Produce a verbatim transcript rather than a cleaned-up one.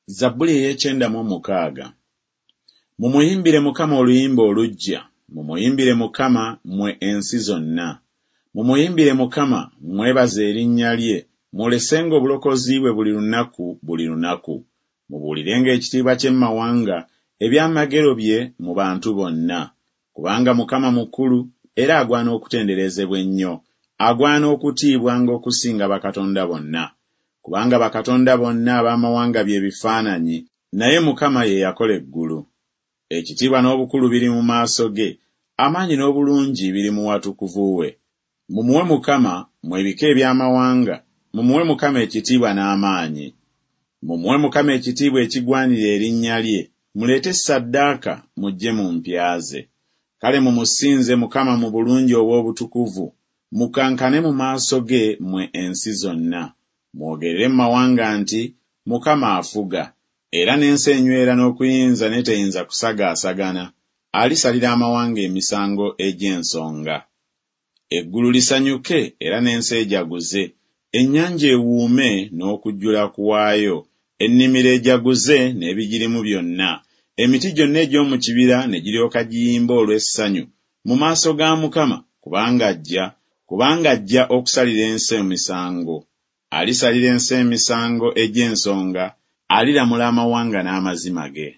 Zabbuli ey'ekyenda mu mukaaga. Mumuyimbire Mukama oluyimba oluggya, mumuyimbire Mukama mmwe ensi zonna. Mumuyimbire Mukama, mwebaze erinnya lye, mwolesenga obulokozi bwe buli lunaku buli lunaku. Mubuulirenga ekitiibwa kye mu mawanga, ebyamagero bye mu bantu bonna. Kubanga Mukama mukulu era agwana okutenderezebwa ennyo, agwana okutiibwanga okusinga bakatonda bonna. Kubanga bakatonda bonna ab'amawanga bye bifaananyi, naye Mukama ye yakola eggulu. Ekitiibwa n'obukulu biri mu maaso ge, amaanyi n'obulungi biri mu watukuvu we. Mumuwe Mukama, mmwe ebika eby'amawanga, mumuwe Mukama ekitiibwa n'amaanyi. Mumuwe Mukama ekitiibwa ekigwanira erinnya lye, muleete ssaddaaka mujje mu mpya ze. Kale mumusinze Mukama mu bulungi obw'obutukuvu, mukankane mu maaso ge mmwe ensi zonna. Mwogerere mu mawanga nti Mukama afuga, era n'ensi enywera n'okuyinza n'eteyinza kusagaasagana, alisalira amawanga emisango egy'ensonga. Eggulu lisanyuke era n'ensi ejaguze, ennyanja ewuume n'okujjula kwayo, ennimiro ejaguze n'ebigirimu byonna, emiti gyonna egy'omu kibira ne giryoka giyimba olw'essanyu mu maaso ga Mukama, kubanga ajja, kubanga ajja okusalira ensi emisango. Alisalira ensi emisango egy'ensonga, aliramula amawanga n'amazima ge.